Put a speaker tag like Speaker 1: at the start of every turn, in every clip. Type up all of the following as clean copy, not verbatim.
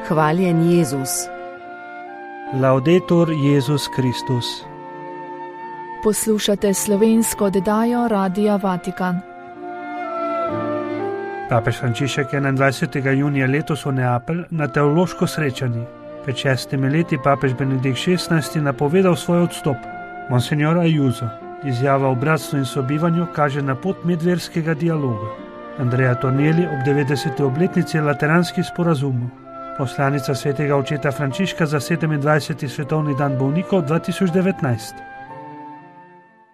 Speaker 1: Hvaljen Jezus.
Speaker 2: Laudetur Jezus Kristus.
Speaker 3: Poslušate slovensko oddajo Radia Vatikan.
Speaker 2: Papež Frančišek 21. junija letos v Neapelj na teološko srečanje. Pred 6 leti papež Benedikt XVI napovedal svoj odstop. Monsignor Ayuso, izjava o bratstvu in sobivanju kaže na pot medverskega dialoga. Andrea Tornielli ob 90. obletnici Lateranskih sporazumov. Poslanica svetega očeta Frančiška za 27. svetovni dan bolnikov 2019.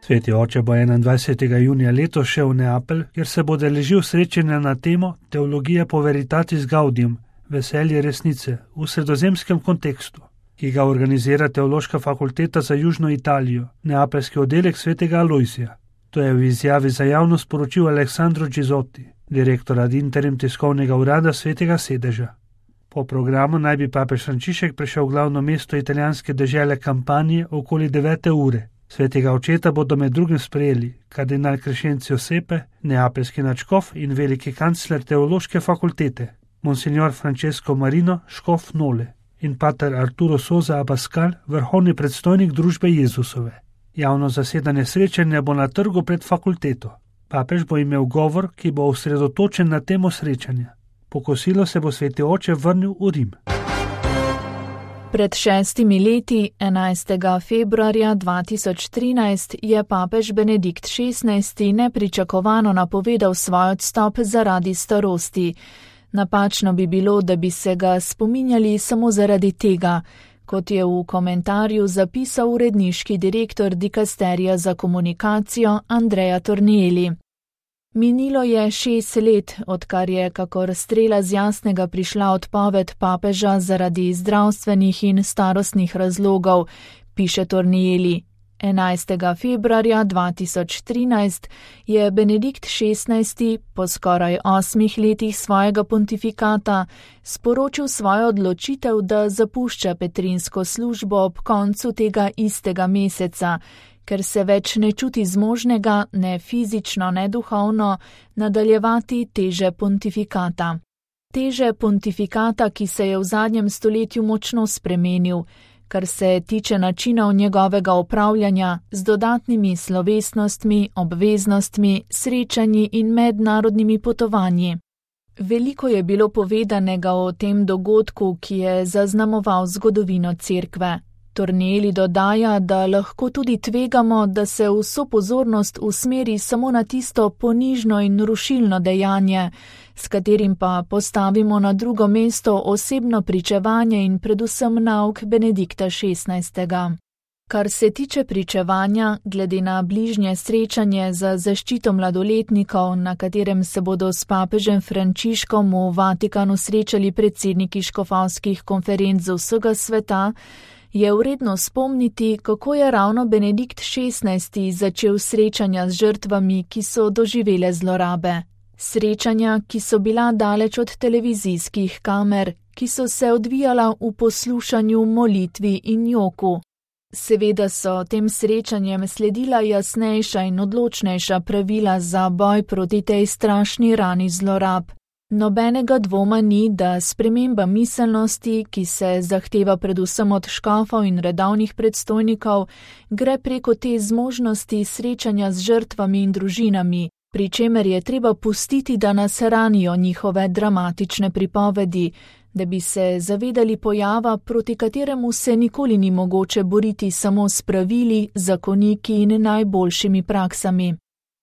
Speaker 2: Sveti oče bo 21. junija letos šel v Neapelj, kjer se bo udeležil srečanja na temo Teologija po veritatis gaudium, veselje resnice v sredozemskem kontekstu, ki ga organizira Teološka fakulteta za Južno Italijo, neapeljski oddelek svetega Alojzija. To je v izjavi za javnost sporočil Alessandro Gizotti, direktor ad interim tiskovnega urada svetega sedeža. Po programu naj bi papež Frančišek prišel v glavno mesto italijanske dežele Kampanje okoli 9. ure. Svetega očeta bodo med drugim sprejeli kardinal Crescenzio Sepe, neapeljski nadškof in veliki kancler Teološke fakultete, monsignor Francesco Marino, škof Nole, in pater Arturo Sosa Abascal, vrhovni predstojnik družbe Jezusove. Javno zasedanje srečanja bo na trgu pred fakulteto. Papež bo imel govor, ki bo osredotočen na temo srečanja. Po kosilu se bo sveti oče vrnil v Rim.
Speaker 3: Pred 6 leti, 11. februarja 2013, je papež Benedikt XVI nepričakovano napovedal svoj odstop zaradi starosti. Napačno bi bilo, da bi se ga spominjali samo zaradi tega, kot je v komentarju zapisal uredniški direktor dikasterija za komunikacijo Andrea Tornielli. Minilo je 6 let, odkar je kakor strela z jasnega prišla odpoved papeža zaradi zdravstvenih in starostnih razlogov, piše Tornielli. 11. februarja 2013 je Benedikt XVI po skoraj 8 letih svojega pontifikata sporočil svojo odločitev, da zapušča petrinsko službo ob koncu tega istega meseca, ker se več ne čuti zmožnega, ne fizično, ne duhovno, nadaljevati teže pontifikata. Teže pontifikata, ki se je v zadnjem stoletju močno spremenil, kar se tiče načinov njegovega upravljanja z dodatnimi slovesnostmi, obveznostmi, srečanji in mednarodnimi potovanji. Veliko je bilo povedanega o tem dogodku, ki je zaznamoval zgodovino Cerkve. Tornielli dodaja, da lahko tudi tvegamo, da se vso pozornost usmeri samo na tisto ponižno in rušilno dejanje, s katerim pa postavimo na drugo mesto osebno pričevanje in predvsem nauk Benedikta XVI. Kar se tiče pričevanja, glede na bližnje srečanje za zaščito mladoletnikov, na katerem se bodo s papežem Frančiškom v Vatikanu srečali predsedniki škofovskih konferenc z vsega sveta, je vredno spomniti, kako je ravno Benedikt XVI začel srečanja z žrtvami, ki so doživele zlorabe. Srečanja, ki so bila daleč od televizijskih kamer, ki so se odvijala v poslušanju, molitvi in joku. Seveda so tem srečanjem sledila jasnejša in odločnejša pravila za boj proti tej strašni rani zlorab. Nobenega dvoma ni, da sprememba miselnosti, ki se zahteva predvsem od škofov in redovnih predstojnikov, gre preko te zmožnosti srečanja z žrtvami in družinami, pri čemer je treba pustiti, da nas ranijo njihove dramatične pripovedi, da bi se zavedali pojava, proti kateremu se nikoli ni mogoče boriti samo s pravili, zakoniki in najboljšimi praksami.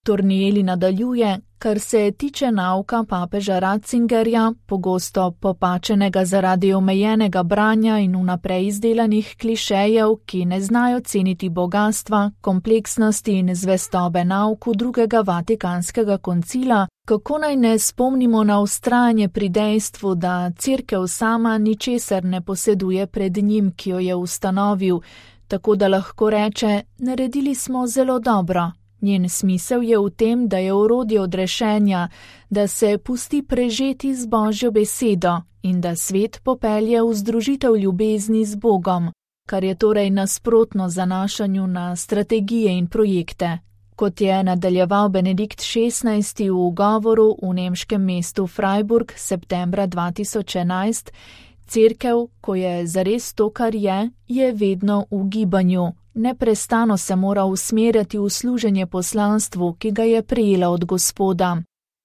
Speaker 3: Tornielli nadaljuje, kar se tiče nauka papeža Ratzingerja, pogosto popačenega zaradi omejenega branja in vnaprej izdelanih klišejev, ki ne znajo ceniti bogastva, kompleksnosti in zvestobe nauku drugega vatikanskega koncila, kako naj ne spomnimo na vztrajanje pri dejstvu, da Cerkev sama ničesar ne poseduje pred njim, ki jo je ustanovil, tako da lahko reče, naredili smo zelo dobro. Njen smisel je v tem, da je orodje odrešenja, da se pusti prežeti z Božjo besedo in da svet popelje v združitev ljubezni z Bogom, kar je torej nasprotno zanašanju na strategije in projekte. Kot je nadaljeval Benedikt XVI v govoru v nemškem mestu Freiburg septembra 2011, Cerkev, ko je zares to, kar je vedno v gibanju. Neprestano se mora usmerjati v služenje poslanstvu, ki ga je prejela od Gospoda.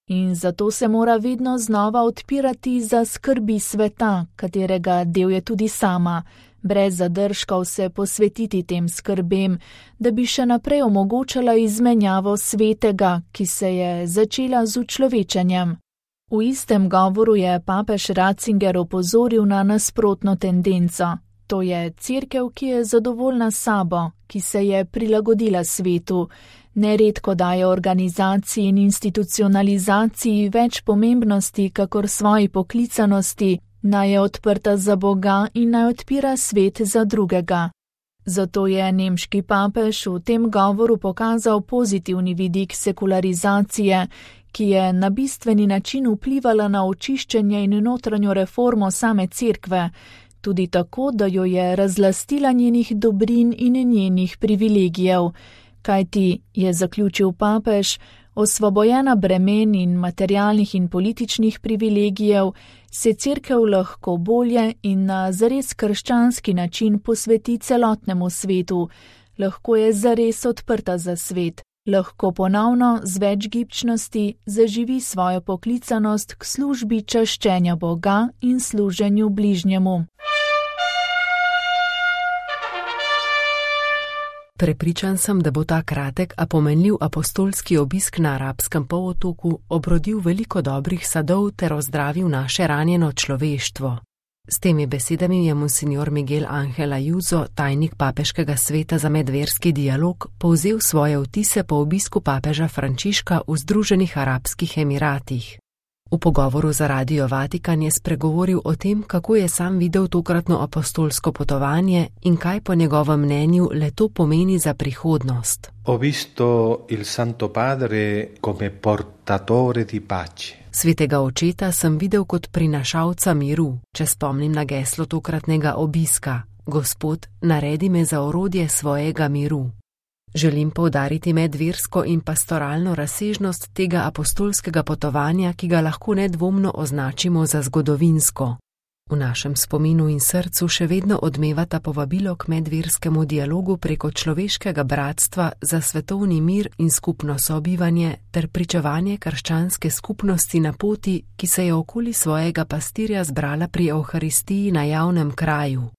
Speaker 3: In zato se mora vedno znova odpirati za skrbi sveta, katerega del je tudi sama, brez zadržkov se posvetiti tem skrbem, da bi še naprej omogočala izmenjavo svetega, ki se je začela z učlovečenjem. V istem govoru je papež Ratzinger opozoril na nasprotno tendenco. To je cerkev, ki je zadovoljna s sabo, ki se je prilagodila svetu, neredko daje organizaciji in institucionalizaciji več pomembnosti, kakor svoji poklicanosti, naj je odprta za Boga in naj odpira svet za drugega. Zato je nemški papež v tem govoru pokazal pozitivni vidik sekularizacije, ki je na bistveni način vplivala na očiščenje in notranjo reformo same cerkve, tudi tako, da jo je razlastila njenih dobrin in njenih privilegijev, kajti, je zaključil papež, osvobojena bremen in materialnih in političnih privilegijev, se cerkev lahko bolje in na zares krščanski način posveti celotnemu svetu, lahko je zares odprta za svet, lahko ponovno z več gibčnosti zaživi svojo poklicanost k službi čaščenja Boga in služenju bližnjemu.
Speaker 1: Prepričan sem, da bo ta kratek, a pomenljiv apostolski obisk na arabskem polotoku obrodil veliko dobrih sadov ter ozdravil naše ranjeno človeštvo. S temi besedami je monsignor Miguel Ángel Ayuso, tajnik papeškega sveta za medverski dialog, povzel svoje vtise po obisku papeža Frančiška v Združenih arabskih emiratih. V pogovoru za Radio Vatikan je spregovoril o tem, kako je sam videl tokratno apostolsko potovanje in kaj po njegovem mnenju le to pomeni za prihodnost.
Speaker 4: Ho visto il Santo Padre come portatore di pace.
Speaker 1: Svetega očeta sem videl kot prinašalca miru, če spomnim na geslo tokratnega obiska: Gospod, naredi me za orodje svojega miru. Želim poudariti medversko in pastoralno razsežnost tega apostolskega potovanja, ki ga lahko nedvomno označimo za zgodovinsko. V našem spominu in srcu še vedno odmevata povabilo k medverskemu dialogu preko človeškega bratstva za svetovni mir in skupno sobivanje ter pričevanje krščanske skupnosti na poti, ki se je okoli svojega pastirja zbrala pri Evharistiji na javnem kraju.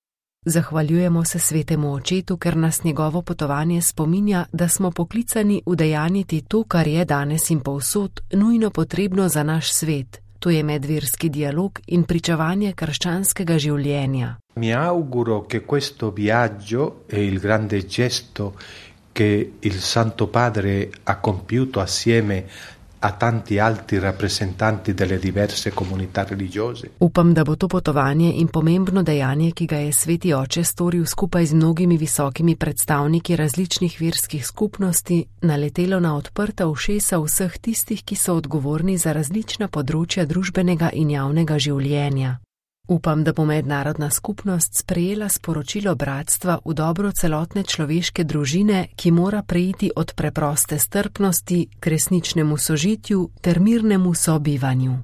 Speaker 1: Zahvaljujemo se svetemu očetu, ker nas njegovo potovanje spominja, da smo poklicani udejanjiti to, kar je danes in povsod nujno potrebno za naš svet. To je medverski dialog in pričevanje krščanskega življenja.
Speaker 4: Mi auguro che questo viaggio e il grande gesto che il Santo Padre ha compiuto assieme a tanti altri rappresentanti delle diverse comunità religiose.
Speaker 1: Upam, da bo to potovanje in pomembno dejanje, ki ga je sveti oče storil skupaj z mnogimi visokimi predstavniki različnih verskih skupnosti, naletelo na odprta ušesa vseh tistih, ki so odgovorni za različna področja družbenega in javnega življenja. Upam, da bo mednarodna skupnost sprejela sporočilo bratstva v dobro celotne človeške družine, ki mora preiti od preproste strpnosti k resničnemu sožitju ter mirnemu sobivanju.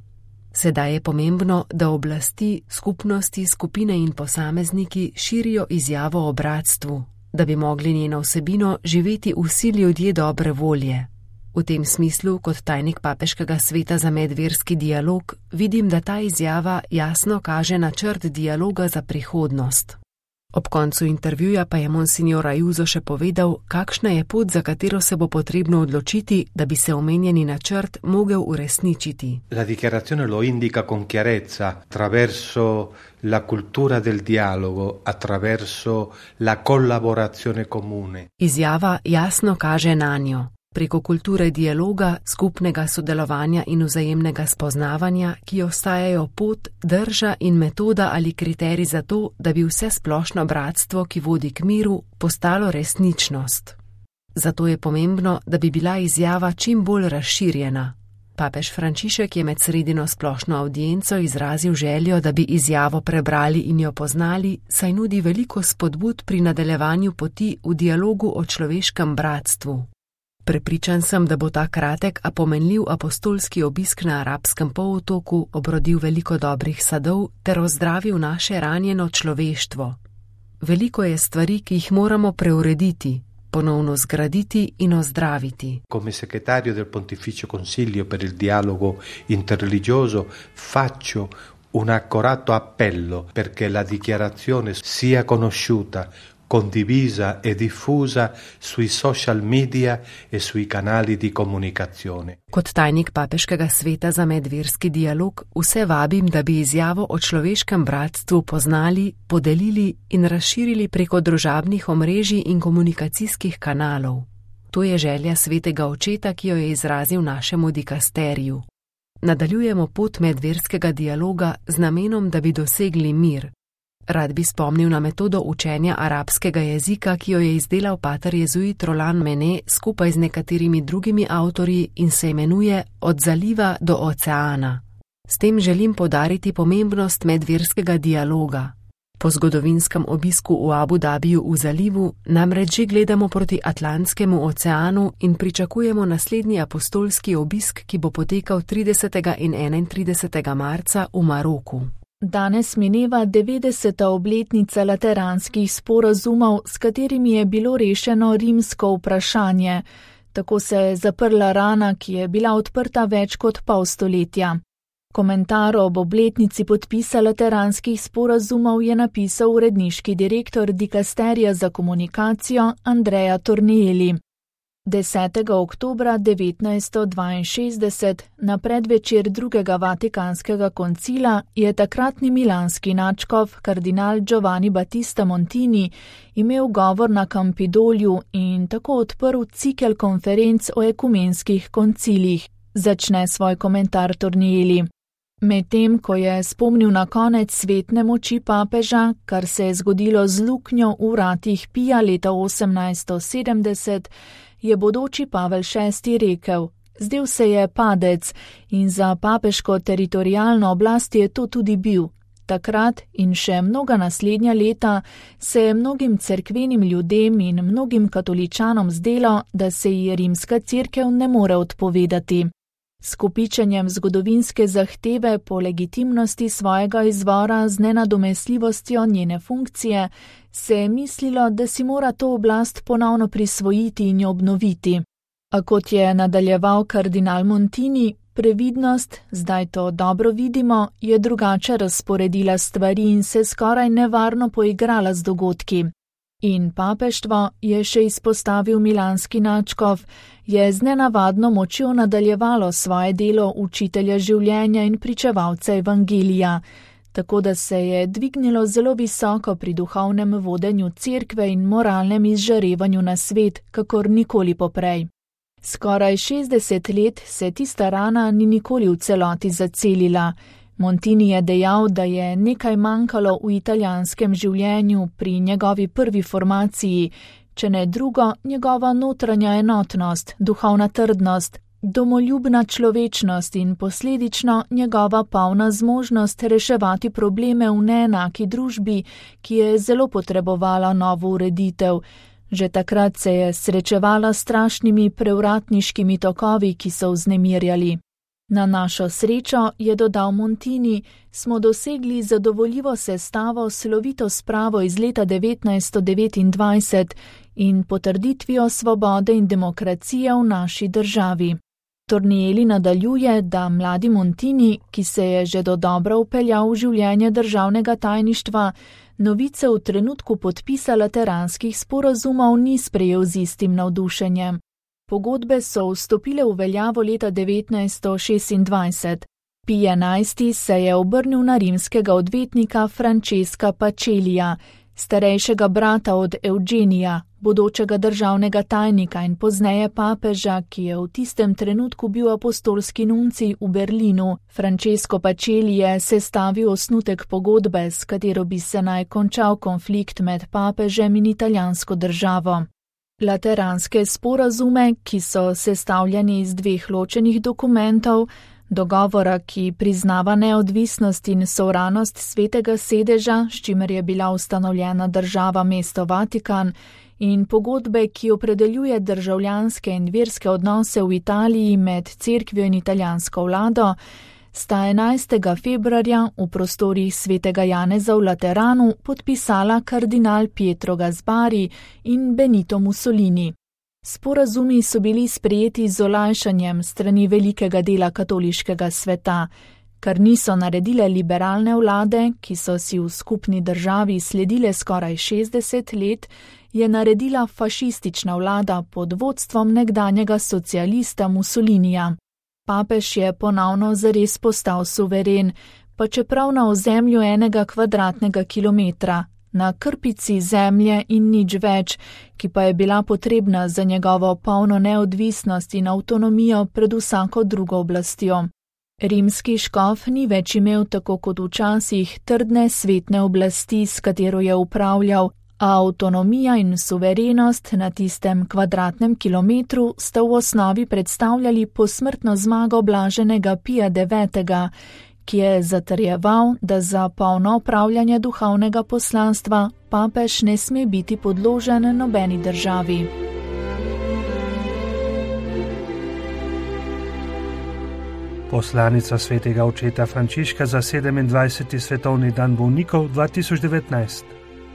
Speaker 1: Sedaj je pomembno, da oblasti, skupnosti, skupine in posamezniki širijo izjavo o bratstvu, da bi mogli njeno vsebino živeti vsi ljudje dobre volje. V tem smislu, kot tajnik papeškega sveta za medverski dialog, vidim, da ta izjava jasno kaže načrt dialoga za prihodnost. Ob koncu intervjuja pa je monsignor Ayuso še povedal, kakšna je pot, za katero se bo potrebno odločiti, da bi se omenjeni načrt mogel uresničiti.
Speaker 4: La dichiarazione lo indica con chiarezza attraverso la cultura del dialogo, attraverso la collaborazione comune.
Speaker 1: Izjava jasno kaže nanjo. Preko kulture dialoga, skupnega sodelovanja in vzajemnega spoznavanja, ki ostajajo pot, drža in metoda ali kriterij za to, da bi vse splošno bratstvo, ki vodi k miru, postalo resničnost. Zato je pomembno, da bi bila izjava čim bolj razširjena. Papež Frančišek je med sredino splošno avdienco izrazil željo, da bi izjavo prebrali in jo poznali, saj nudi veliko spodbud pri nadaljevanju poti v dialogu o človeškem bratstvu. Prepričan sem, da bo ta kratek, a pomenljiv apostolski obisk na arabskem polotoku obrodil veliko dobrih sadov ter ozdravil naše ranjeno človeštvo. Veliko je stvari, ki jih moramo preurediti, ponovno zgraditi in ozdraviti.
Speaker 4: Come segretario del Pontificio Consiglio per il dialogo interreligioso faccio un accorato appello perché la dichiarazione sia conosciuta, condivisa e diffusa sui social media e sui canali di comunicazione.
Speaker 1: Kot tajnik papeškega sveta za medverski dialog vse vabim, da bi izjavo o človeškem bratstvu poznali, podelili in razširili preko družabnih omrežij in komunikacijskih kanalov. To je želja svetega očeta, ki jo je izrazil našemu dikasteriju. Nadaljujemo pot medverskega dialoga z namenom, da bi dosegli mir. Rad bi spomnil na metodo učenja arabskega jezika, ki jo je izdelal pater jezuit Roland Mene skupaj z nekaterimi drugimi avtorji in se imenuje Od zaliva do oceana. S tem želim poudariti pomembnost medverskega dialoga. Po zgodovinskem obisku v Abu Dabiju v zalivu namreč že gledamo proti Atlantskemu oceanu in pričakujemo naslednji apostolski obisk, ki bo potekal 30. in 31. marca v Maroku.
Speaker 3: Danes mineva 90. obletnica lateranskih sporazumov, s katerimi je bilo rešeno rimsko vprašanje. Tako se je zaprla rana, ki je bila odprta več kot pol stoletja. Komentar ob obletnici podpisa lateranskih sporazumov je napisal uredniški direktor dikasterija za komunikacijo Andrea Tornielli. 10. oktobra 1962, na predvečer drugega Vatikanskega koncila, je takratni milanski nadškof kardinal Giovanni Battista Montini imel govor na Campidolju in tako odprl cikel konferenc o ekumenskih koncilih, začne svoj komentar Tornielli. Medtem, ko je spomnil na konec svetne moči papeža, kar se je zgodilo z luknjo v vratih Pija leta 1870, je bodoči Pavel VI rekel: zdel se je padec in za papeško teritorialno oblast je to tudi bil. Takrat in še mnoga naslednja leta se je mnogim cerkvenim ljudem in mnogim katoličanom zdelo, da se ji rimska cerkev ne more odpovedati. S kopičenjem zgodovinske zahteve po legitimnosti svojega izvora z nenadomestljivostjo njene funkcije se je mislilo, da si mora to oblast ponovno prisvojiti in jo obnoviti. A kot je nadaljeval kardinal Montini, previdnost, zdaj to dobro vidimo, je drugače razporedila stvari in se skoraj nevarno poigrala z dogodki. In papeštvo, je še izpostavil milanski nadškof, je z nenavadno močjo nadaljevalo svoje delo učitelja življenja in pričevalca evangelija, tako da se je dvignilo zelo visoko pri duhovnem vodenju cerkve in moralnem izžarevanju na svet, kakor nikoli poprej. Skoraj 60 let se tista rana ni nikoli v celoti zacelila. Montini je dejal, da je nekaj manjkalo v italijanskem življenju pri njegovi prvi formaciji, če ne drugo, njegova notranja enotnost, duhovna trdnost, domoljubna človečnost in posledično njegova polna zmožnost reševati probleme v neenaki družbi, ki je zelo potrebovala novo ureditev. Že takrat se je srečevala s strašnimi prevratniškimi tokovi, ki so vznemirjali. Na našo srečo, je dodal Montini, smo dosegli zadovoljivo sestavo s slovito spravo iz leta 1929 in potrditvijo svobode in demokracije v naši državi. Tornielli nadaljuje, da mladi Montini, ki se je že dodobra vpeljal v življenje državnega tajništva, novice v trenutku podpisa lateranskih sporazumov ni sprejel z istim navdušenjem. Pogodbe so vstopile v veljavo leta 1926. Pij XI se je obrnil na rimskega odvetnika Francesca Pacelija, starejšega brata od Eugenija, bodočega državnega tajnika in pozneje papeža, ki je v tistem trenutku bil apostolski nuncij v Berlinu. Francesco Pacelli je sestavil osnutek pogodbe, s katero bi se naj končal konflikt med papežem in italijansko državo. Lateranske sporazume, ki so sestavljeni iz dveh ločenih dokumentov, dogovora, ki priznava neodvisnost in sovranost svetega sedeža, s čimer je bila ustanovljena država mesto Vatikan, in pogodbe, ki opredeljuje državljanske in verske odnose v Italiji med cerkvijo in italijansko vlado, sta 11. februarja v prostorih svetega Janeza v Lateranu podpisala kardinal Pietro Gasbari in Benito Mussolini. Sporazumi so bili sprejeti z olajšanjem strani velikega dela katoliškega sveta, kar niso naredile liberalne vlade, ki so si v skupni državi sledile skoraj 60 let, je naredila fašistična vlada pod vodstvom nekdanjega socialista Mussolinija. Papež je ponovno zares postal suveren, pa čeprav na ozemlju 1 kvadratnega kilometra, na krpici zemlje in nič več, ki pa je bila potrebna za njegovo polno neodvisnost in avtonomijo pred vsako drugo oblastjo. Rimski škof ni več imel tako kot včasih trdne svetne oblasti, s katero je upravljal, a avtonomija in suverenost na tistem kvadratnem kilometru sta v osnovi predstavljali posmrtno zmago blaženega Pija IX., ki je zatrjeval, da za polno opravljanje duhovnega poslanstva papež ne sme biti podložen nobeni državi.
Speaker 2: Poslanica svetega očeta Frančiška za 27. svetovni dan bolnikov 2019.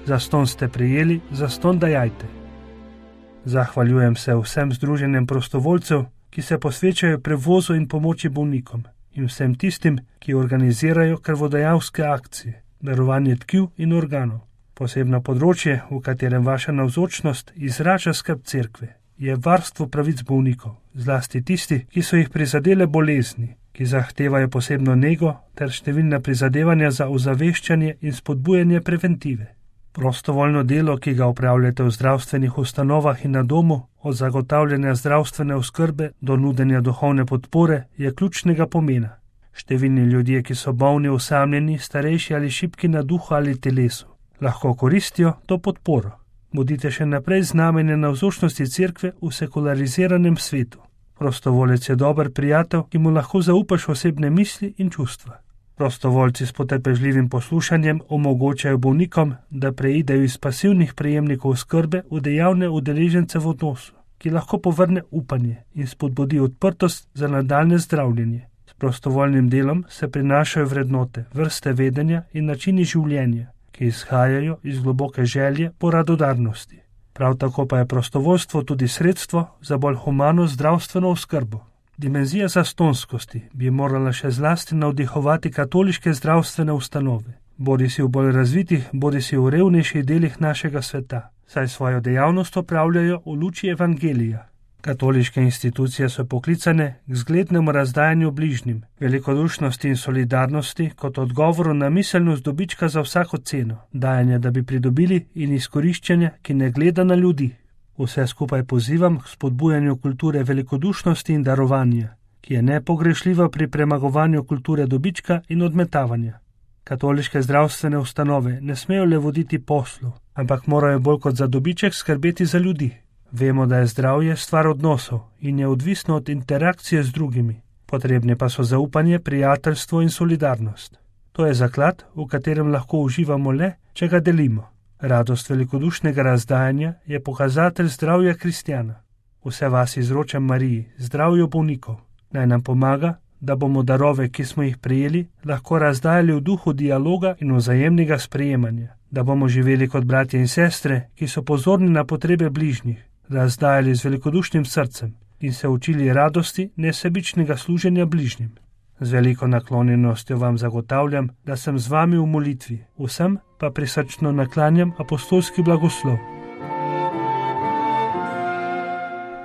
Speaker 2: Zastonj ste prijeli, zastonj dajajte. Zahvaljujem se vsem združenjem prostovoljcev, ki se posvečajo prevozu in pomoči bolnikom, in vsem tistim, ki organizirajo krvodajalske akcije, darovanje tkiv in organov. Posebno področje, v katerem vaša navzočnost izraža skrb cerkve, je varstvo pravic bolnikov, zlasti tisti, ki so jih prizadele bolezni, ki zahtevajo posebno nego ter številna prizadevanja za ozaveščanje in spodbujanje preventive. Prostovoljno delo, ki ga opravljate v zdravstvenih ustanovah in na domu, od zagotavljanja zdravstvene oskrbe do nudenja duhovne podpore, je ključnega pomena. Številni ljudje, ki so bolni, osamljeni, starejši ali šibki na duhu ali telesu, lahko koristijo to podporo. Bodite še naprej znamenje navzočnosti cerkve v sekulariziranem svetu. Prostovoljec je dober prijatelj, ki mu lahko zaupaš osebne misli in čustva. Prostovoljci s potrpežljivim poslušanjem omogočajo bolnikom, da preidejo iz pasivnih prejemnikov oskrbe v dejavne udeležence v odnosu, ki lahko povrne upanje in spodbudi odprtost za nadaljne zdravljenje. S prostovoljnim delom se prinašajo vrednote, vrste vedenja in načini življenja, ki izhajajo iz globoke želje po radodarnosti. Prav tako pa je prostovoljstvo tudi sredstvo za bolj humano zdravstveno oskrbo. Dimenzija zastonskosti bi morala še zlasti navdihovati katoliške zdravstvene ustanove, bodisi v bolj razvitih, bodisi v revnejših delih našega sveta, saj svojo dejavnost opravljajo v luči evangelija. Katoliške institucije so poklicane k zglednemu razdajanju bližnjim, velikodušnosti in solidarnosti kot odgovoru na miselnost dobička za vsako ceno, dajanja, da bi pridobili, in izkoriščanja, ki ne gleda na ljudi. Vse skupaj pozivam k spodbujanju kulture velikodušnosti in darovanja, ki je nepogrešljiva pri premagovanju kulture dobička in odmetavanja. Katoliške zdravstvene ustanove ne smejo le voditi poslu, ampak morajo bolj kot za dobiček skrbeti za ljudi. Vemo, da je zdravje stvar odnosov in je odvisno od interakcije z drugimi. Potrebne pa so zaupanje, prijateljstvo in solidarnost. To je zaklad, v katerem lahko uživamo le, če ga delimo. Radost velikodušnega razdajanja je pokazatelj zdravja kristjana. Vse vas izročam Mariji, zdravju bolnikov. Naj nam pomaga, da bomo darove, ki smo jih prejeli, lahko razdajali v duhu dialoga in vzajemnega sprejemanja. Da bomo živeli kot bratje in sestre, ki so pozorni na potrebe bližnjih, razdajali z velikodušnim srcem in se učili radosti nesebičnega služenja bližnjim. Z veliko naklonjenostjo vam zagotavljam, da sem z vami v molitvi, vsem pa prisrčno naklanjam apostolski blagoslov.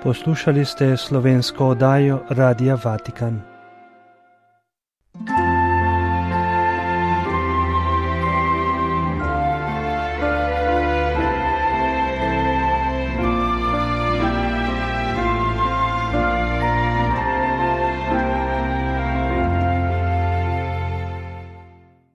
Speaker 2: Poslušali ste slovensko oddajo Radia Vatikan.